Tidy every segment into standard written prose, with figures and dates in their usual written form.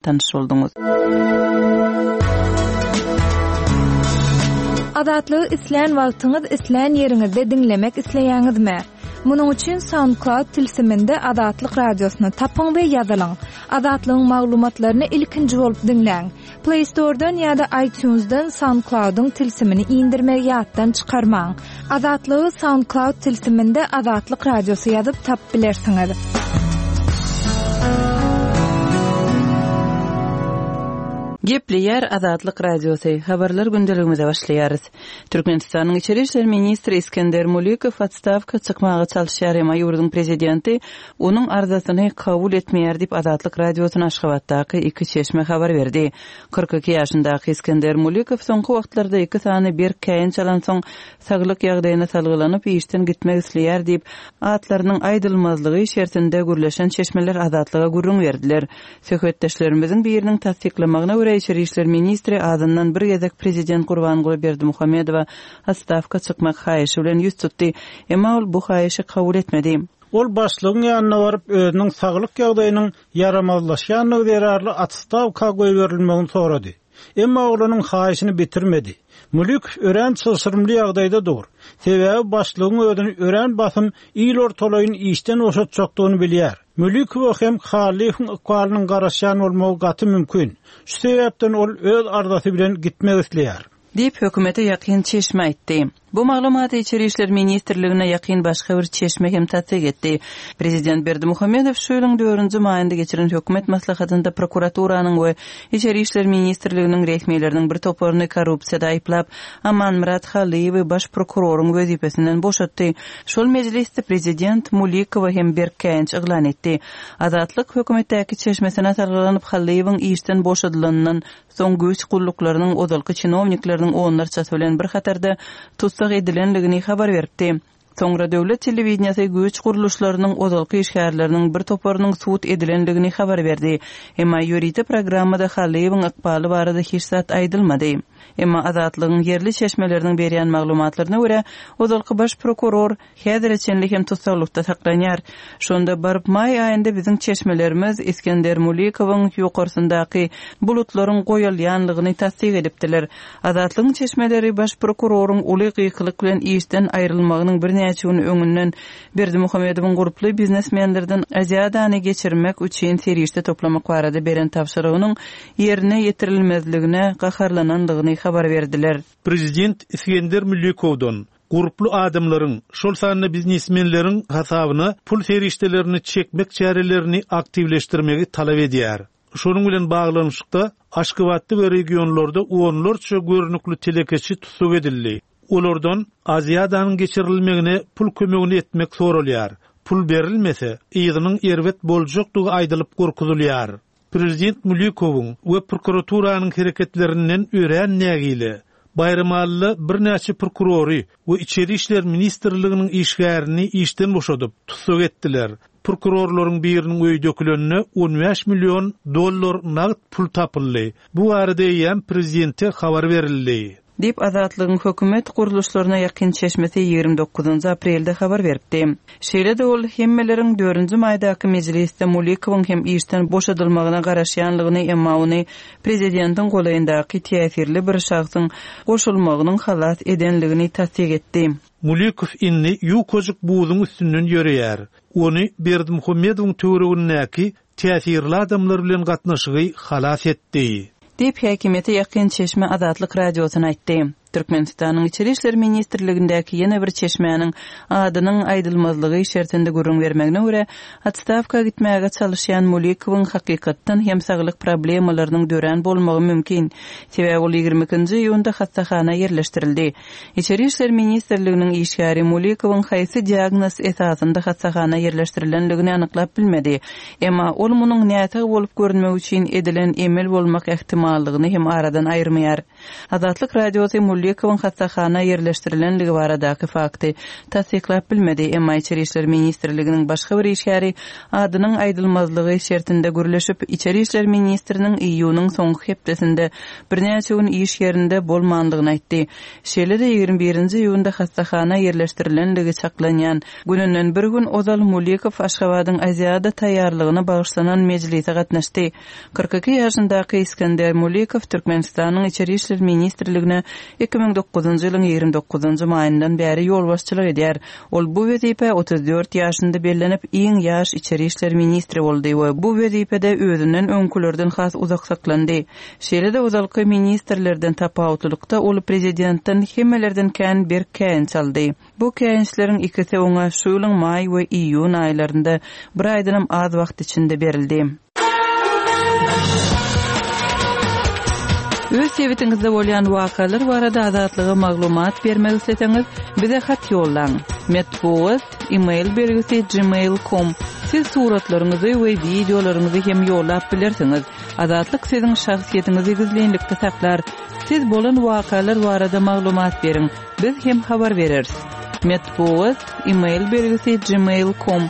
Tanyş bolduňyz. Azatlygy islän wagtyňyz, islän ýeriňizde diňlemek isleýäňizmi? Munuň üçin SoundCloud tilsiminde Azatlyk Radiosyny tapyň we ýazylyň. Azatlygyň maglumatlaryny ilkinji bolup diňläň. Play Store-dan ýa-da iTunes-dan SoundCloud-yň tilsimini indirmegi ýatdan çykarmaň. Azatlygy SoundCloud tilsiminde Azatlyk Radiosy ýazyp tapyp bilersiňiz. Gepleýär Azatlyk Radiosy, Habarlar gündeligimize başlaýarys. Türkmenistanyň Içeri işler ministri Isgender Mulikow otstawka çykmaga çalyşýar, emma ýurduň prezidenti onuň arzasyny kabul etmeýär diýip, Azatlyk Radiosyna Aşgabatdaky iki çeşme habar berdi. 42 ýaşyndaky Isgender Mulikow soňky wagtlarda iki sany berk käýinç alansoň, saglyk ýagdaýyna salgylanyp, işden gitmek isleýär diýip, atlarynyň aýdylmazlygy şertinde gürleşen çeşmeler Azatlyga gürrüň berdiler. Söhbetdeşlerimiziň biriniň tassyklamagyna görä, içeri işler ministri azyndan bir gezek prezident Gurbanguly Berdimuhamedowa otstawka çykmak haýyşy bilen ýüz tutdy. Emma ol bu haýyşy kabul etmedi. Ol başlygyň ýanyna baryp, özüniň saglyk ýagdaýynyň ýaramazlaşýandygy zerarly otstawka goýberilmegini sorady. Emma ol onuň haýyşyny bitirmedi. Mülikow örän çylşyrymly ýagdaýda dur. Sebäbi başlygyň özüni örän basym il ortalaýyn işden boşatjakdygyny bilýär. Mülikowa hem Hallyýewiň ykbalynyň garaşýan bolmagy gaty mümkin. Şu sebäpden ol öz arzasy bilen gitmek isleýär. Diýip, hökümete ýakyn çeşme aýtdy. Bu maglumaty Içeri işler ministrligine ýakyn başga bir çeşme hem tassyk etdi. Prezident Berdimuhamedow şu ýylyň dördünji maýynda geçiren hökümet maslahatynda prokuraturanyň we Içeri işler ministrliginiň resmileriniň bir toparyny korrupsiýada aýyplap, Amanmyrat Hallyýewi baş prokuroryň wezipesinden boşatdy. Şol mejlisde prezident Mulikowa hem berk käýinç yglan etdi. Azatlyk hökümetdäki çeşmesine salgylanyp, Hallyýewiň işden boşadylanyndan Soň güýç gulluklarynyň ozalky çinownikleriniň onlarçasy bilen bir hatarda tussag edilendigini habar beripdi. Soňra döwlet telewideniýesi güýç gurluşlarynyň ozalky işgärleriniň bir toparynyň sud edilendigini habar berdi. Emma ýörite programmada Hallyýewiň ykbaly barada hiç zat aýdylmady. Emma Azatlygyň ýerli çeşmeleriniň berýän maglumatlaryna görä, ozalky baş prokuror Häzire çenli hem tussaglykda saklanýar. Şonda baryp maý aýynda biziň çeşmelerimiz Isgender Mulikowyň ýokarsyndaky bulutlaryň goýalýanlygyny tassyk edipdiler. Azatlygyň çeşmeleri baş prokuroryň uly gykylyk bilen işden aýrylmagynyň birnäçe gün öňünden Berdimuhamedowyň gurply biznesmenlerden Aziadany geçirmek üçin serişde toplamak barada beren tabşyrygynyň ýerine ýetirilmezligine gaharlananlygyny habar berdiler. Prezident Isgender Mülikowdan Gurply adamlaryň, şol sanda biznesmenleriň hasabyna pul serişdelerini çekmek çärelerini aktiwleşdirmegi talap edýär. Şonuň bilen baglanyşykda, Aşgabatda we regionlarda onlarça görnükli telekeçi tussag edildi. Olardan Aziadanyň geçirilmegine pul kömegini etmek soralýar. Pul berilmese, yzynyň erbet boljakdygy aýdylyp gorkuzylýar. Prezident Mulikowyň we prokuraturanyň hereketlerinden örän nägile. Baýramalyda birnäçe prokurory we Içeri işler ministrliginiň işgärini işden boşadyp, tussag etdiler. Prokurorlaryň biriniň öýi dökülende 15 million dollar nagt pul tapyldy. Bu barada eýýäm prezidente habar berildi. Diýip, Azatlygyň hökümet gurluşlaryna ýakyn çeşmesi 29 aprelde habar beripdi. Şeýle-de ol hemmeleriň dördünji maýdaky mejlisde Mulikowyň hem işden boşadylmagyna garaşýanlygyny, emma ony prezidentiň golaýyndaky täsirli bir şahsyň goşulmagynyň halas edenligini tassyk etdi. Mulikow indi ýukajyk buzuň üstünden ýöreýär. Ony Berdimuhamedowyň töweregindäki täsirli adamlar bilen gatnaşygy halas etdi. Diýip, häkimiýete ýakyn çeşme Azatlyk Radiosyna aýtdy. Türkmenistanyň Içeri işler ministrligindäki ýene bir çeşmäniň adynyň aýdylmazlygy şertinde gürrüň bermegine görä, otstawka gitmäge çalyşýan Mulikowyň hakykatdan hem saglyk problemalarynyň dörän bolmagy mümkin. Sebäbi ol 22-nji iýunda hassahana ýerleşdirildi. Içeri işler ministrliginiň işgäri Mulikowyň haýsy diagnoz esasynda hassahana ýerleşdirilendigini anyklap bilmedi. Emma ol munuň näsag bolup görünmek üçin edilen emel bolmak ähtimallygyny hem aradan aýyrmaýar. Azatlyk Radiosy. Mulikowyň hassahana ýerleşdirilenligi baradaky fakty tassyklap bilmedi, emma Içeri işler ministrliginiň başga bir işgäri adynyň aýdylmazlygy şertinde gürleşip, içeri işler ministriniň iýunyň soňky hepdesinde birnäçe gün iş ýerinde bolmandygyny aýtdy. Şeýle-de, 21 nji iýunda hassahana ýerleşdirilenligi çaklanýan gününden bir gün ozal Mulikow Aşgabadyň Aziada taýýarlygyna bagyşlanan mejlise gatnaşdy. 42 ýaşyndaky Isgender Mulikow Türkmenistanyň Içeri işler ministrligine 2009-njy ýylyň 29-njy maýyndan bäri ýolbaşçylyk edýär. Ol bu wezipä 34 ýaşynda bellenip, iň ýaş içeri işler ministri boldy we bu wezipede özünden öňkülerden has uzak saklandy. Şeýle-de ozalky ministrlerden tapawutlylykda ol prezidentden hemmelerden kän berk käýinç aldy. Bu käýinçleriň ikisi oňa şu ýylyň maý we iýun aýlarynda, bir aýdanam az wagt içinde berildi. Öz sebitiňizde bolýan wakalar barada Azatlyga maglumat bermek isleseňiz, bize hat ýollaň. Metbugat, e-mail belgisi gmail com. Siz suratlaryňyzy we wideolaryňyzy hem ýollap bilersiňiz. Azatlyk siziň şahsyýetiňizi gizlinlikde saklar. Siz bolan wakalar barada maglumat beriň. Biz hem habar bereris. Metbugat, e-mail belgisi gmail com.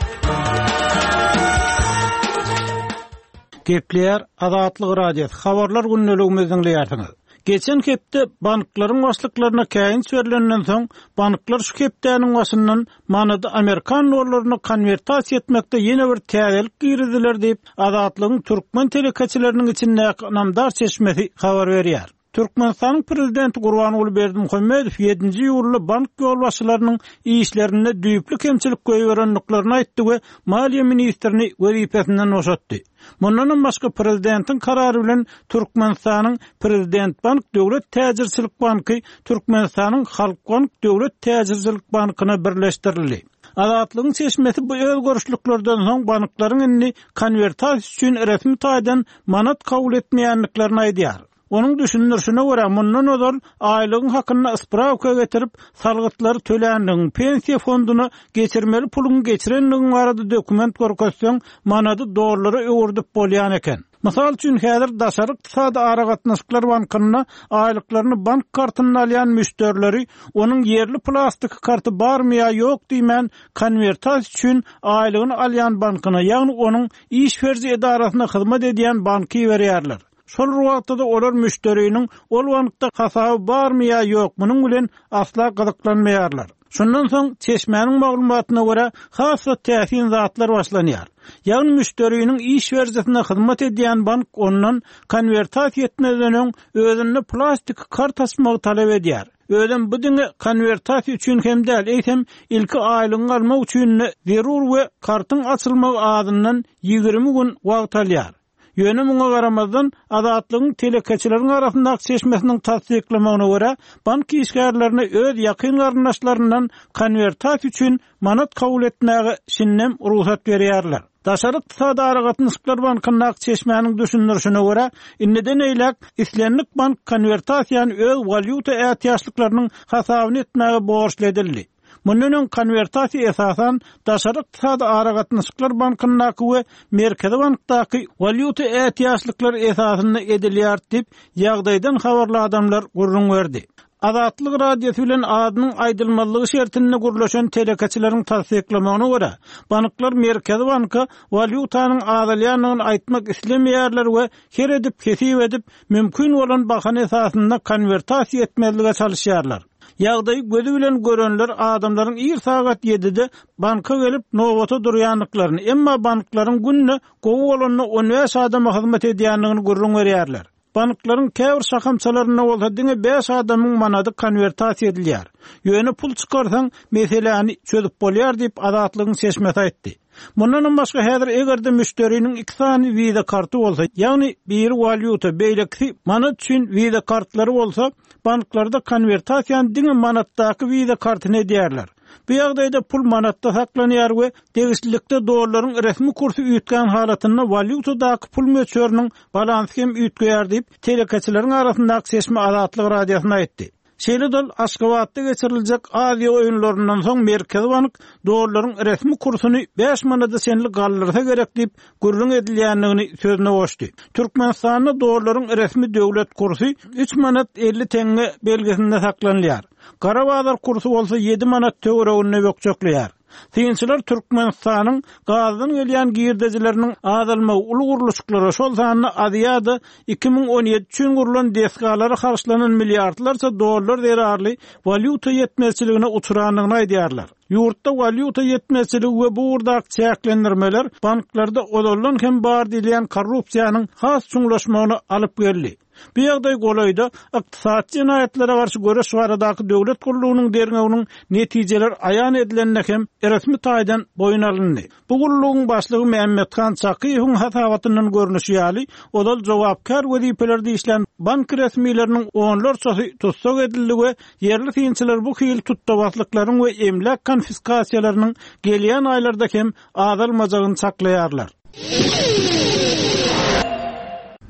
Gepleýär Azatlyk Radiosy, Habarlar gündeligimizi diňleýärsiňiz. Geçen hepde banklaryň başlyklaryna käýinç berlenden soň, banklar şu hepdäniň başyndan manady amerikan dollaryna konwertasiýa etmekde ýene bir täzelik girizdiler diýip, Azatlygyň türkmen telekeçileriniň içindäki ynamdar çeşmesi habar berýär. Türkmenistanyň Prezidenti Gurbanguly Berdimuhamedow ýedinji iýulda bank ýolbaşçylarynyň işlerinde düýpli kemçilik goýberendiklerini aýtdy we maliýe ministrini wezipesinden boşatdy. Mundanam başga prezidentiň karary bilen Türkmenistanyň Prezidentbank döwlet täjirçilik banky Türkmenistanyň Halkbank döwlet täjirçilik bankyna birleşdirildi. Azatlygyň çeşmesi bu özgerişliklerden soň banklaryň indi konwertasiýa üçin resmi taýdan manat kabul etmeýändiklerini aýdýar. Onuň düşündirişine görä, mundan ozal aýlygyň hakynda sprawka getirip, salgytlary töländigiň, pensiýa fonduna geçirmeli puluňy geçirendigiň barada dokument görkezseň, manady dollara öwürdip bolýan eken. Mysal üçin, häzir Daşary ykdysady aragatnaşyklar bankynda aýlyklaryny bank kartynda alýan müşderileri onuň ýerli plastiki karty barmy ýa ýok diýmän, konwertasiýa üçin aýlygyny alýan bankyna, ýagny onuň iş beriji edarasyna hyzmat edýän banka iberýärler. Şol bir wagtda-da olar müşderiniň ol bankda hasaby barmy ýa ýok, munuň bilen asla gyzyklanmaýarlar. Şundan soň, çeşmäniň maglumatyna görä, has-da täsin zatlar başlanýar. Ýagny müşderiniň iş berijisine hyzmat edýän bank ondan konwertasiýa etmezden öň özünde plastik kart açmagy talap edýär. Özem bu diňe konwertasiýa üçin hem däl, eýsem, ilki aýlygyňy almak üçin-de zerur we kartyň açylmagy azyndan 20 gün wagt alýar. Ýöne muňa garamazdan, Azatlygyň telekeçileriň arasyndaky çeşmesiniň tassyklamagyna görä, bank işgärlerine öz ýakyn garyndaşlaryndan konwertasiýa üçin manat kabul etmäge şindem rugsat berýärler. Daşary ykdysady aragatnaşyklar bankyndaky çeşmäniň düşündirişine görä, indiden beýläk islendik bank konwertasiýany öz walýuta ätiýaçlyklarynyň hasabyna etmäge borçly edildi. Mundan öň konwertasiýa esasan Daşary ykdysady aragatnaşyklar bankyndaky we Merkezi bankdaky walýuta ätiýaçlyklary esasynda edilýärdi diýip, ýagdaýdan habarly adamlar gürrüň berdi. Azatlyk Radiosy bilen adynyň aýdylmazlygy şertinde gürleşen telekeçileriň tassyklamagyna görä, banklar Merkezi banka walýutanyň azalýandygyny aýtmak islemeýärler we her edip hesip edip, mümkin bolan bahana esasynda konwertasiýa etmezlige çalyşýarlar. Ýagdaýy gözi bilen görenler adamlaryň ir sagat ýedide banka gelip nobata durýandyklaryny, emma banklaryň günde gowy bolanda on bäş adama hyzmat edýändigini gürrüň berýärler. Banklaryň käbir şahamçalarynda bolsa diňe bäş adamyň manady konwertasiýa edilýär. Ýöne pul çykarsaň, meseläni çözüp bolýar diýip, Azatlygyň çeşmesi aýtdy. Mundanam başga häzir eger-de müşderiniň iki sany wiza karty bolsa, ýagny biri walýuta, beýlekisi manat üçin wiza kartlary bolsa, banklarda konwertasiýany diňe manatdaky wiza kartyna edýärler. Bu ýagdaýda pul manatda saklanýar we degişlilikde dollaryň resmi kursy üýtgän halatynda walýutadaky pul möçberiniň balansy hem üýtgeýär diýip, telekeçileriň arasyndaky çeşme Azatlyk Radiosyna aýtdy. Şeýle-de ol Aşgabatda geçiriljek Aziýa oýunlaryndan soň Merkezi bank dollaryň resmi kursuny bäş manada çenli galdyrsa gerek diýip gürrüň edilýändigini sözüne goşdy. Türkmenistanda dollaryň resmi döwlet kursy üç manat 50 teňňe belgisinde saklanylýar. Gara bazar kursy bolsa ýedi manat töwereginde bökjekleýär. Synçylar Türkmenistanyň gazdan gelýän girdejileriniň azalmagy uly gurluşyklara, şol sanda Aziada 2017 üçin gurlan desgalara harçlanan milliardlarça dollar zerarly walýuta ýetmezçiligine uçrandygyny aýdýarlar. Ýurtda walýuta ýetmezçiligi we bu ugurdaky çäklendirmeler banklarda ozaldan hem bar diýilýän korrupsiýanyň has çuňlaşmagyna alyp geldi. Bu ýagdaý golaýda Ykdysady jenaýatlara garşy göreş baradaky döwlet gullugynyň derňewiniň netijeleri aýan edilende hem resmi taýdan boýun alyndy. Bu gullugyň başlygy Mämmethan Çakyýewiň hasabatyndan görnüşi ýaly, ozal jogapkär wezipelerde işlän bank resmileriniň onlarçasy tussag edildi we ýerli synçylar bu hili tutda-baslyklaryň we emläk konfiskasiýalarynyň gelýän aýlarda hem azalmajagyny çaklaýarlar.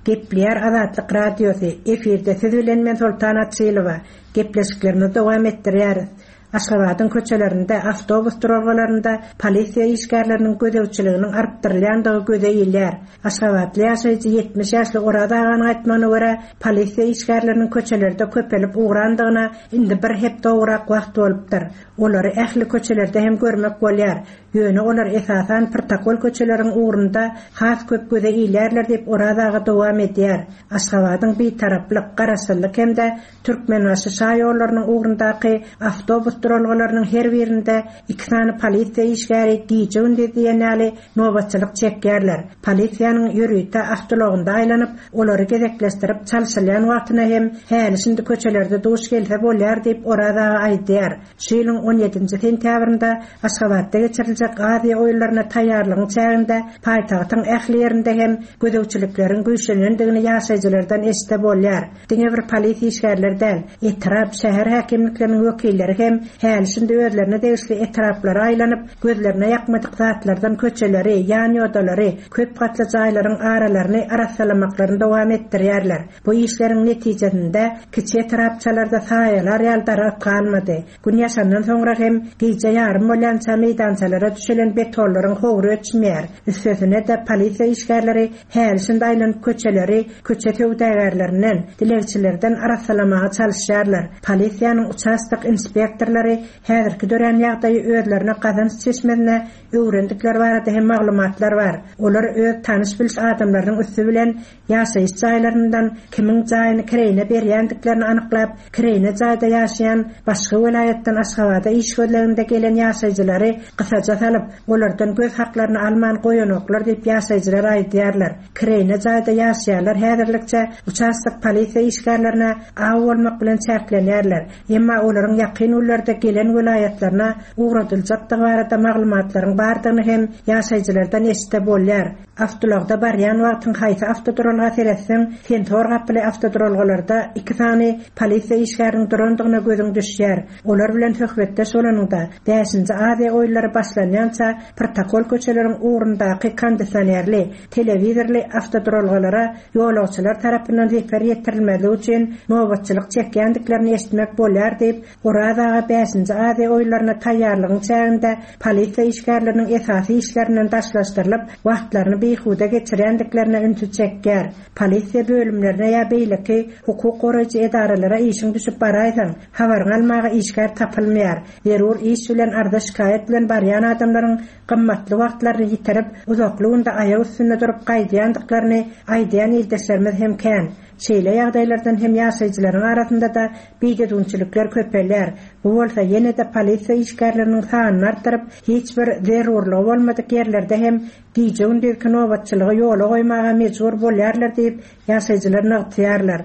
Gepleýär Azatlyk Radiosy, efirde siz bilen men Soltan Açylowa. Gepleşiklerimizi dowam etdirýäris. Aşgabadyň köçelerinde, awtobus duralgalarynda polisiýa işgärleriniň gözegçiliginiň artdyrylýandygy göze ilýär. Aşgabatly ýaşaýjy 70 ýaşly Oraz aganyň aýtmagyna görä, polisiýa işgärleriniň köçelerde köpelip ugrandygyna indi bir hepde gowrak wagt bolupdyr. Olary ähli köçelerde hem görmek bolýar. Ýöne olar esasan protokol köçeleriň ugrunda has köp göze ilýärler diýip Oraz aga dowam edýär. Aşgabadyň Bitaraplyk, Garaşsyzlyk hem-de Türkmenbaşy şaýollarynyň ugrundaky awtobus duralgalarynyň her birinde iki sany polisiýa işgäri gije-gündiz diýen ýaly nobatçylyk çekýärler. Polisiýanyň ýörite awtoulagynda aýlanyp, olary gezekleşdirip çalşylýan wagtyna hem häli-şindi köçelerde duş gelse bolýar diýip Oraz aga aýdýar. Şu ýylyň on ýedinji sentýabrynda Aşgabatda geçiriljek Aziýa oýunlaryna taýýarlygyň çäginde paýtagtyň ähli ýerinde hem gözegçilikleriň güýçlenendigini ýaşaýjylardan eşitse bolýar. Diňe bir polis işgärleri däl, etrap, şäher häkimlikleriniň wekilleri hem häli-şindi özlerine degişli etraplara aýlanyp, gözlerine ýakmadyk zatlardan köçeleri, ýanýodalary, köp gatly jaýlaryň aralaryny arassalamaklaryny dowam etdirýärler. Bu işleriň netijesinde kiçi etrapçalarda saýalar ýaly daragt galmady. Gün ýaşandan soňra hem gije ýarym bolýança meýdançalara düşelen betonlaryň howry öçmeýär. Üstesine-de polisiýa işgärleri häli-şindi aýlanyp köçeleri köçe söwdagärlerinden, dilegçilerden arassalamaga çalyşýarlar. Polisiýanyň uçastok inspektorlary häzirki dörän ýagdaýy özlerine gazanç çeşmesine öwrendikleri barada hem maglumatlar bar. Olar öz tanyş-biliş adamlarynyň üsti bilen Ýaşaýyş jaýlaryndan kimiň jaýyny kireýine berýändiklerini anyklap, kireýine jaýda ýaşaýan, başga welaýatdan Aşgabada iş gözleginde gelen ýaşaýjylary gysaja salyp, olardan göz haklaryny alman goýanoklar diýip ýaşaýjylar aýdýarlar. Kireýine jaýda ýaşaýanlar häzirlikçe uçastok polisiýa işgärlerine aw bolmak bilen çäklenýärler. Emma olaryň ýakyn günlerde gelen welaýatlaryna ugradyljakdygy barada maglumatlaryň bardygyny hem ýaşaýjylardan eşitse bolýar. Awtoulagda barýan wagtyň haýsy awtoduralga seretseň, sensor gapyly awtoduralgalarda iki sany polisiýa işgäriniň durandygyna gözüň düşýär. Olar bilen söhbetdeş bolanyňda, Bäşinji Aziýa oýunlary başlanýança protokol köçeleriň ugrundaky kondisionerli, telewizorly awtoduralgalara ýolagçylar tarapyndan zeper ýetirilmezligi üçin nobatçylyk çekýändiklerini eşitmek bolýar diýip, Oraz aga Bäşinji Aziýa oýunlaryna taýýarlygyň çäginde polisiýa işgärleriniň esasy işlerinden daşlaşdyrylyp, wagtlaryny bihuda geçirýändiklerine ünsi çekýär. Polisiýa bölümlerine ýa beýleki hukuk goraýjy edaralara işiň düşüp baraýsaň, habaryňy almaga işgär tapylmaýar. Zerur iş bilen arza-şikaýat bilen barýan adamlaryň gymmatly wagtlaryny ýitirip, uzakly günde aýak üstünde durup gaýdýandyklaryny aýdýan ildeşlerimiz hem kän. Şeýle ýagdaýlardan hem ýaşaýjylaryň arasynda-da bidüzgünçilikler köpelýär. Bu bolsa ýene-de polisiýa işgärleriniň sanyny artdyryp, hiç bir zerurlygy bolmadyk ýerlerde hem gije-gündizki nobatçylygy ýola goýmaga mejbur bolýarlar diýip, ýaşaýjylar nygtaýarlar.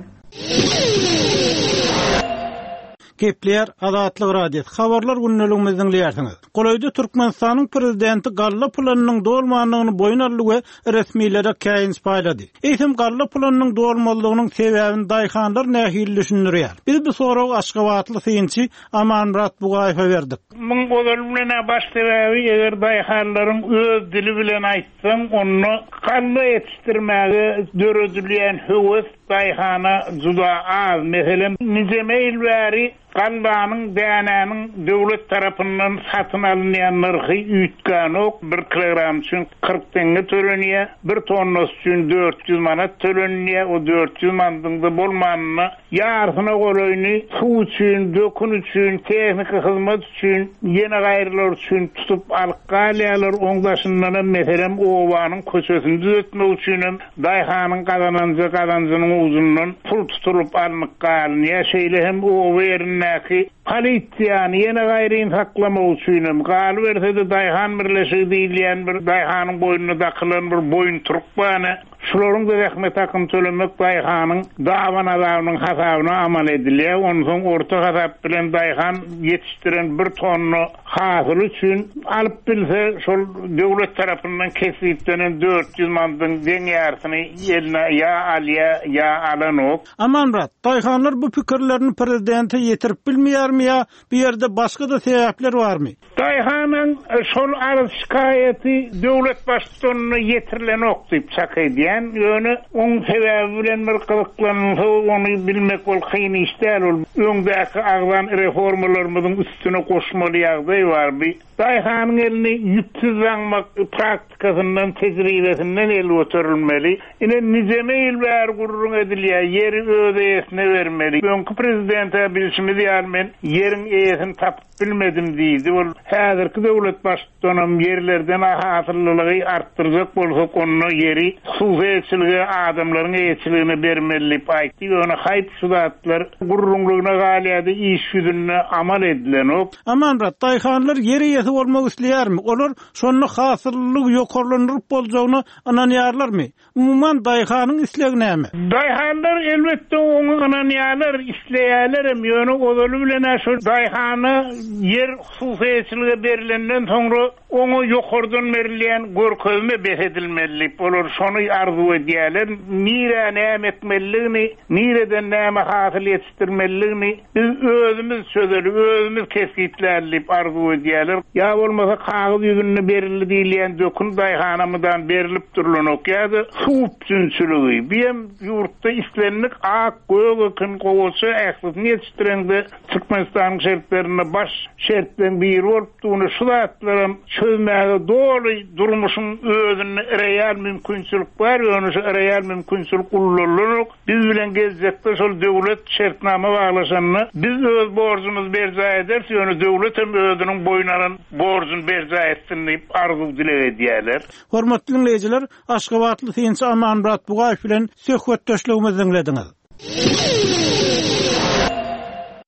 Gepleýär Azatlyk Radiosy, Habarlar gündeligimizi diňleýärsiňiz. Golaýda Türkmenistanyň prezidenti galla planynyň dolmandygyny boýun aldy we resmilere käýinç paýlady. Eýsem galla planynyň dolmazlygynyň sebäbini daýhanlar nähili düşündirýär? Biz bu soragy aşgabatly synçy Amanmyrat Bugaýewe berdik. Muň ozaly bilen-ä baş sebäbi eger daýhanlaryň öz dili bilen aýtsaň onda galla ýetişdirmäge döredilýän höwes. daýhana juda az. Meselem, nijeme ýyl bäri gallanyň, dänäniň döwlet tarapyndan satyn alynýan nyrhy üýtgänok, bir kilogram üçin 40 teňňe tölenýär, bir tonnasy üçin 400 manat tölenilýär, o 400 manadyň-da bolmanynda Ýarsyna golaýyny suw üçin, dökün üçin, tehniki hyzmat üçin, ýene gaýrylar üçin tutup alyp galýarlar. Oň daşyndanam, meselem, obanyň köçesini düzetmek üçinem daýhanyň gazananja gazanjynyň ujundan pul tutulyp alnyp galynýar. Şeýle hem oba ýerindäki polisiýany, ýene gaýryny saklamak üçinem, galyberse-de daýhan birleşigi diýilýän bir daýhanyň boýnuna dakylan bir boýuntyryk bar. Şularyň-da zähmet hakyny tölemek daýhanyň daban azabynyň hasabyna amal edilýär. Onsoň orta hasap bilen daýhan ýetişdiren bir tonna hasyly üçin alyp bilse, şol döwlet tarapyndan kesgitlenen 400 manadyň deň ýarysyny eline ýa alýar, ýa alanok. Amanmyrat, daýhanlar bu pikirlerini prezidente ýetirip bilmeýärmi ýa bu ýerde başga-da sebäpler barmy? Daýhanyň şol arz-şikaýaty döwlet baştutanyna ýetirilenok diýip çak edýän. Ýöne oň sebäbi bilen bir gyzyklanylsa ony bilmek ol kyn iş däl. Ol öňdäki agzan reformalarymyzyň üstüne goşmaly ýagdaý bar. Bi daýhanyň elini ýüpsüz daňmak praktikasyndan, tejribesinden el göterilmeli. Ine nijeme ýyl bäri gürrüň edilýär, ýeri öz eýesine bermeli. Öňki prezident-ä bilşimiz ýaly men ýeriň eýesini tapyp Bilmedim diýdi. Ol häzirki döwlet baştutanam ýerlerden hasyllylygy artdyrjak bolsak, onda ýeri hususy eýeçilige, adamlaryň eýeçiligine bermeli diýip aýtdy. Ýöne haýp şu zatlar gürrüňligine galýardy, iş ýüzünde amal edilenok. Amanmyrat, daýhanlar ýer eýesi bolmak isleýärmi? Olar şonda hasyllylygy ýokarlandyryp boljagyna ynanýarlarmy? Umuman, daýhanyň islegi näme? Daýhanlar, elbetde, oňa ynanýarlar, isleýärlerem, ýöne ozaly bilen-ä şol daýhana ýer hususy eýeçilige berlenden soňra oňa ýokardan berilýän görkezme bes edilmeli diýip, olar şony arzuw edýärler. Nirä näme ekmelidigini, nireden näme hasyl ýetişdirmelidigini biz özümiz çözeli, özümiz kesgitläli diýip arzuw edýärler. Ýa bolmasa kagyz ýüzünde berildi diýilýän dökün daýhana mydam berlip durlanok ýa-da suw üpjünçiligi. Bu hem ýurtda islendik ak, gök ekin, gowaça ählisini ýetişdireňde Türkmenistanyň şertlerinde baş şertleň biri bolup durny şu zatlaram çözmäge doly durmuşyň özünde real mümkinçilik bar ýöne şu real mümkinçilik ullanylanok. Biz bilen geljekde şol döwlet şertnama baglaşanda biz öz borjumyzy berjaý ederis, ýöne döwlet hem özüniň boýun alan borjuny berjaý etsin diýip arzuw-dileg edýärler. Hormatly diňleýjiler, aşgabatly synçy Amanmyrat Bugaýew bilen söhbetdeşligimizi diňlediňiz.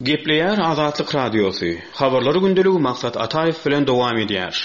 Gepleýär Azatlyk Radiosy, Habarlar gündeligi Maksat Ataýew bilen dowam edýär.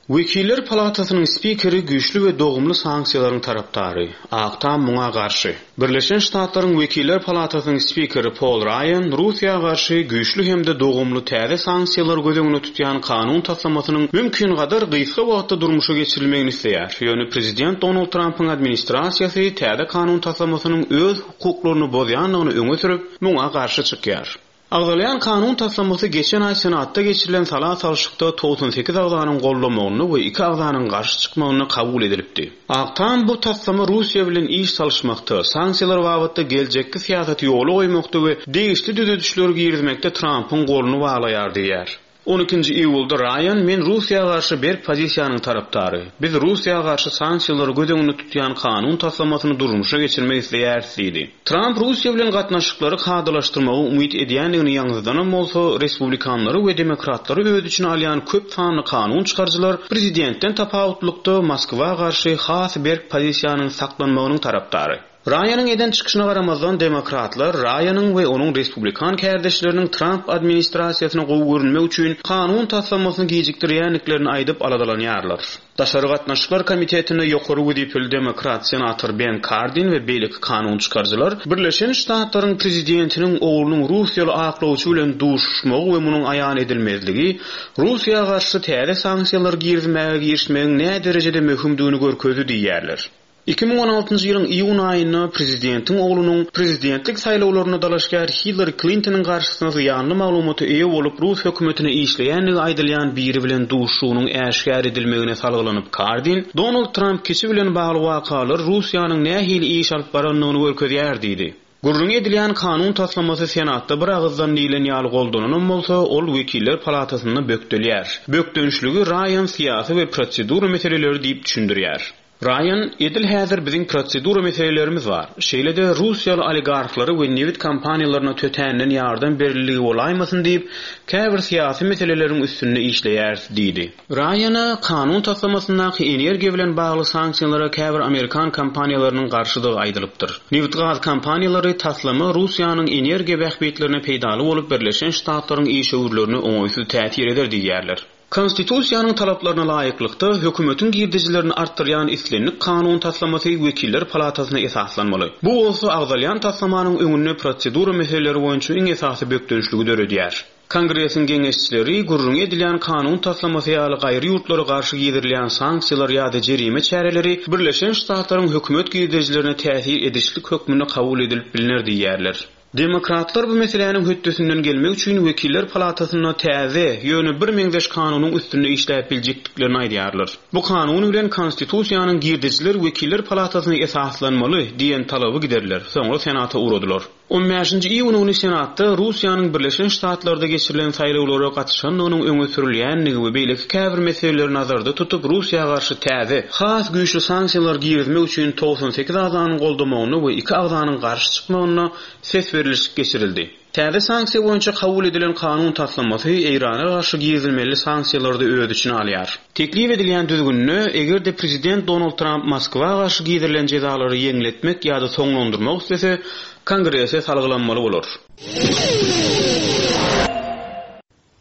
Wekiller palatasynyň spikeri güýçli we dogumly sanksiýalaryň tarapdary, Ak Tam muňa garşy. Birleşen Ştatlaryň Wekiller palatasynyň spikeri Pol Raýan Russiýa garşy güýçli hem-de dogumly täze sanksiýalary göz öňünde tutýan kanun taslamasynyň mümkingadar gysga wagtda durmuşa geçirilmegini isleýär. Ýöne prezident Donald Trampyň administrasiýasy täze kanun taslamasynyň öz hukuklaryny bozýandygyny öňe sürüp, muňa garşy çykýar. Agzalýan kanun taslamasy geçen aý Senatda geçirilen sala salşykda 98 agzanyň goldamagynda we iki agzanyň garşy çykmagynda kabul edilipdi. Ak Tam bu taslama Russiýa bilen iş salyşmakda, sanksiýalar babatda geljekki syýasaty ýola goýmakda we degişli düzedişleri girizmekde Trampyň goluny baglaýar diýýär. On ikinji iýulda Raýan, Men Russiýa garşy berk pozisiýanyň tarapdary. Biz Russiýa garşy sanksiýalary göz öňünde tutýan kanun taslamasyny durmuşa geçirmek isleýäris diýdi. Tramp Russiýa bilen gatnaşyklary kadalaşdyrmagy umyt edýändigini ýaňzydanam bolsa, respublikanlary we demokratlary öz içine alýan köp sanly kanun çykaryjylar prezidentden tapawutlykda Moskwa garşy has berk pozisiýanyň saklanmagynyň tarapdary. Raýanyň eden çykyşyna garamazdan, demokratlar Raýanyň we onuň respublikan kärdeşleriniň Tramp administrasiýasyna gowy görünmek üçin kanun taslamasyny gijikdirýändiklerini aýdyp aladalanýarlar. Daşary gatnaşyklar komitetinde ýokary wezipeli demokrat senator Ben Kardin we beýleki kanun çykaryjylar Birleşen Ştatlaryň prezidentiniň oglunyň russiýaly aklawçy bilen duşuşmagy we munuň aýan edilmezligi Russiýa garşy täze sanksiýalary girizmäge girişmegiň näderejede möhümdigini görkezdi diýýärler. 2016-njy ýylyň iýun aýynda prezidentiň oglunyň prezidentlik saýlawlaryna dalaşgär Hillari Klintonyň garşysyna zyýanly maglumata eýe bolup rus hökümetine işleýändigi aýdylýan biri bilen duşuşygynyň äşgär edilmegine salgylanyp Kardin, Donald Tramp kiçi bilen bagly wakalar Russiýanyň nähili iş alyp barandygyny görkezýär diýdi. Gürrüňi edilýän kanun taslamasy Senatda bir agyzdan diýlen ýaly goldananam bolsa, ol Wekiller palatasynda bökdelýär. Bökdençligi Raýan syýasy we prosedura meseleleri diýip düşündirýär. Raýan, Edil häzir biziň prosedura meselelerimiz bar. Şeýle-de russiýaly oligarhlara we nebit kompaniýalaryna tötänden ýardam berildigi bolaýmasyn diýip, käbir syýasy meseleleriň üstünde işleýäris diýdi. Raýana kanun taslamasyndaky energiýa bilen bagly sanksiýalara käbir amerikan kompaniýalarynyň garşydygy aýdylypdyr. Nebit-gaz kompaniýalary taslama Russiýanyň energiýa bähbitlerine peýdaly bolup Birleşen Ştatlaryň işewürlerine oňaýsyz täsir eder diýýärler. Konstitusiýanyň talaplaryna laýyklykda, hökümetiň girdejilerini artdyrýan islendik kanun taslamasy Wekiller palatasyna esaslanmaly. Bu bolsa agzalýan taslamanyň öňünde prosedura meseleleri boýunça iň esasy bökdençligi döredýär. Kongresiň geňeşçileri gürrüňi edilýän kanun taslamasy ýaly gaýry ýurtlara garşy girizilýän sanksiýalar ýa-da jerime çäreleri Birleşen Ştatlaryň hökümet girdejilerine täsir edişlik hökmünde kabul edilip bilner diýýärler. Demokratlar bu meseläniň hötdesinden gelmek üçin Wekiller palatasynda täze, ýöne birmeňzeş kanunyň üstünde işläp biljekdiklerini aýdýarlar. Bu kanun bilen Konstitusiýanyň girdejiler Wekiller palatasyna esaslanmaly diýen talaby gideriler, soňra Senata ugradylar. On bäşinji iýun güni Senatda Russiýanyň Birleşen Ştatlarda geçirilen saýlawlara gatyşandygynyň öňe sürülýändigi we beýleki käbir meseleleri nazarda tutup Russiýa garşy täze, has güýçli sanksiýalar girizmek üçin 98 agzanyň goldamagynda we iki agzanyň garşy çykmagynda ses berlişik geçirildi. Täze sanksiýa boýunça kabul edilen kanun taslamasy Eýrana garşy girizilmeli sanksiýalary-da öz içine alýar. Teklip edilýän düzgünde, eger-de prezident Donald Tramp Moskwa garşy gizirilen jezalary ýeňletmek ýa-da soňlandyrmak islese, Kongrese salgylanmaly bolar.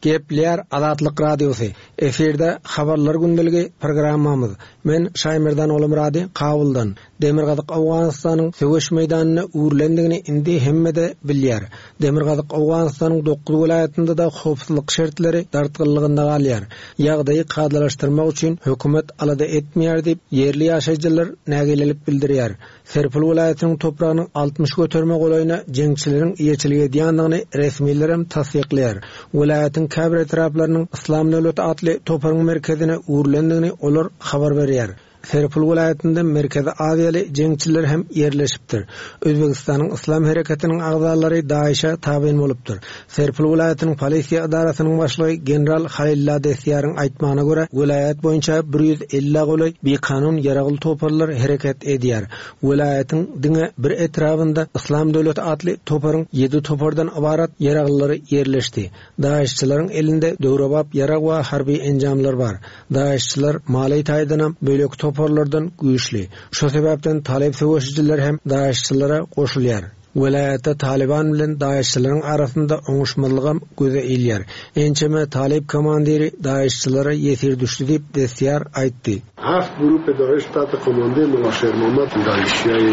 Gepleýär Azatlyk Radiosy, Efirde Habarlar gündeligi programmamyz. Men Şaýmerdan Ogulmyrady Kabuldan. Demirgazyk Owganystanyň söweş meýdanyna öwrülendigini indi hemme-de bilýär. Demirgazyk Owganystanyň dokuz welaýatynda-da howpsuzlyk şertleri dartgynlygynda galýar. Ýagdaýy kadalaşdyrmak üçin hökümet alada etmeýär diýip, ýerli ýaşaýjylar nägilelik bildirýär. Serpil welaýatynyň topragynyň 60 göterime golaýyna jeňçileriň eýeçilik edýändigini resmilerem tassyklaýar. Welaýatyň käbir etraplarynyň Yslam döwleti atly toparyň merkezine öwrülendigini olar habar berýär. Serpil welaýatynda Merkezi Aziýaly jeňçiler hem ýerleşipdir. Özbegistanyň Yslam hereketiniň agzalary DAIŞ-e tabyn bolupdyr. Serpil welaýatynyň polisiýa edarasynyň başlygy general Halilla Destýaryň aýtmagyna görä, welaýat boýunça bir ýüz ellä golaý bikanun ýaragly toparlar hereket edýär. Welaýatyň diňe bir etrabynda Yslam döwleti atly toparyň ýedi topardan ybarat ýaraglylary ýerleşdi. DAIŞ-çylaryň elinde döwrebap ýarag we harby enjamlar bar. DAIŞ-çylar maliýe taýdanam beýleki toparlardan güýçli. Şo sebäpden talyp söweşijiler hem DAIŞ-çylara goşulýar. Welaýatda Talyban bilen DAIŞ-çylaryň arasynda oňuşmazlygam göze ilýär. Ençeme talyp komandiri DAIŞ-çylara ýesir düşdi diýip, Destýar aýtdy. Haft gurup DAIŞ tahte komande Mula Şermohammad DAIŞ-çiýaý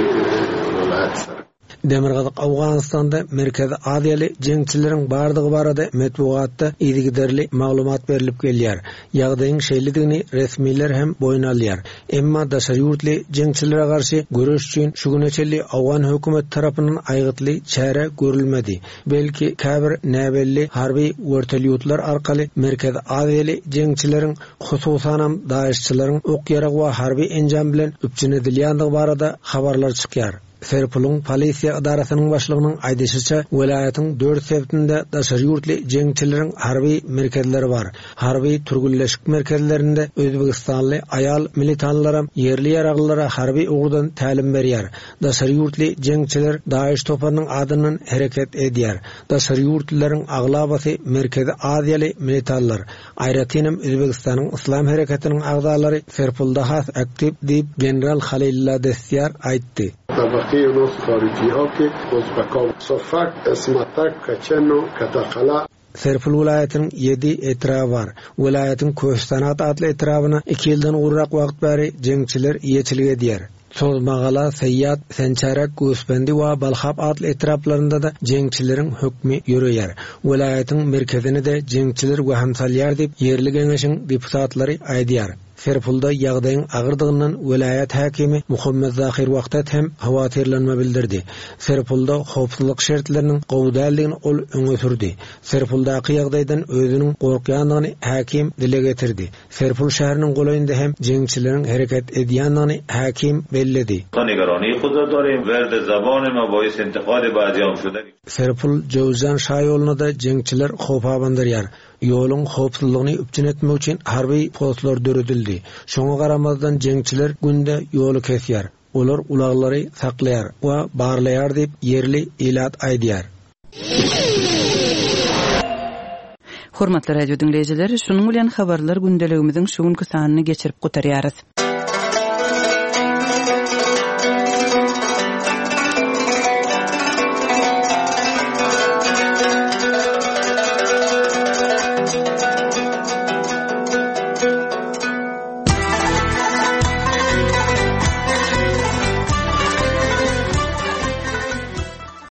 welayat sar. Demirgazyk Owganystanda Merkezi Aziýaly jeňçileriň bardygy barada metbugatda yzygiderli maglumat berlip gelýär. Ýagdaýyň şeýledigini resmiler hem boýun alýar. Emma daşary ýurtly jeňçilere garşy göreş üçin şu güne çenli owgan hökümeti tarapyndan aýgytly çäre görülmedi. Belki, käbir näbelli harby wertolýotlar arkaly Merkezi Aziýaly jeňçileriň, hususanam DAIŞ-çylaryň ok-ýarag we harby enjam bilen üpjün edilýändigi barada habarlar çykýar. Serpulyň polisiýa edarasynyň başlygynyň aýdyşyça, welaýatyň dört sebitinde daşary ýurtly jeňçileriň harby merkezleri bar. Harby türgenleşik merkezlerinde özbegistanly aýal militanlaram ýerli ýaraglylara harby ugurdan tälim berýär. Daşary ýurtly jeňçiler DAIŞ toparynyň adyndan hereket edýär. Daşary ýurtlylaryň aglabasy Merkezi Aziýaly militanlar. Aýratynam Özbegistanyň Yslam hereketiniň agzalary Serpulda has aktiw diýip, general Halilla Destýar aýtdy. Tabaqi nos harijiha ki ozbeka Sofak, Esmatak, Kaçeno, Katakala. Serpil welaýatynyň ýedi etraby bar. Welaýatyň Köhüstanat atly etrabyna iki ýyldan gowrak wagt bäri jeňçiler eýeçilik edýär. Sozmagala, Seýýat, Sençärek, Göwüsbendi we Balhap atly etraplarynda-da jeňçileriň hökmi ýöreýär. Welaýatyň merkezine-de jeňçiler wehim salýar diýip, ýerli geňeşiň deputatlary aýdýar. Serpulda ýagdaýyň agyrdygyndan welaýat häkimi Muhammet Zahyr Wahdat hem howatyrlanma bildirdi. Serpulda howpsuzlyk şertleriniň gowy däldigini ol öňe sürdi. Serpuldaky ýagdaýdan özüniň gorkýandygyny häkim dile getirdi. Serpul şäheriniň golaýynda hem jeňçileriň hereket edýändigini häkim belledi. خود را داریم ورد زبان ما باعث انتقاد بعضی هم شده. Serpul Jöwüzjan şaýoluna-da jeňçiler howp abandyrýar. Ýoluň howpsuzlygyny üpjün etmek üçin harby postlar döredildi. Şoňa garamazdan jeňçiler günde ýoly kesýär. Olar ulaglary saklaýar we barlaýar diýip, ýerli ilat aýdýar. Hormatly radio diňleýjiler, şunuň bilen habarlar gündeligimiziň şu günki sanyny geçirip gutarýarys.